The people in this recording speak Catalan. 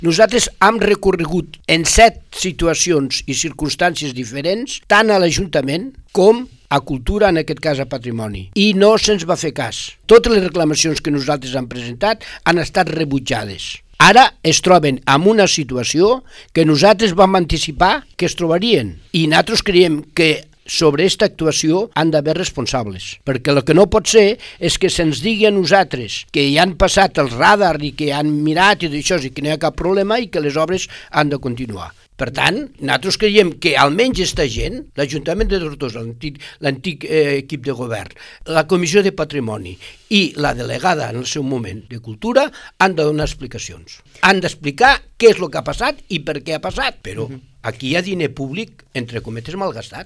Nosaltres hem recorregut en 7 situacions i circumstàncies diferents, tant a l'Ajuntament com a Cultura, en aquest cas a Patrimoni, i no se'ns va fer cas. Totes les reclamacions que nosaltres hem presentat han estat rebutjades. Ara es troben en una situació que nosaltres vam anticipar que es trobarien, i nosaltres creiem que sobre aquesta actuació han d'haver responsables, perquè el que no pot ser és que se'ns digui a nosaltres que hi han passat el radar i que han mirat i d'això i que no hi ha cap problema i que les obres han de continuar. Per tant, nosaltres creiem que almenys aquesta gent, l'Ajuntament de Tortosa, l'antic equip de govern, la Comissió de Patrimoni i la delegada en el seu moment de Cultura han de donar explicacions. Han d'explicar què és el que ha passat i per què ha passat, però aquí hi ha diner públic, entre cometes, malgastat.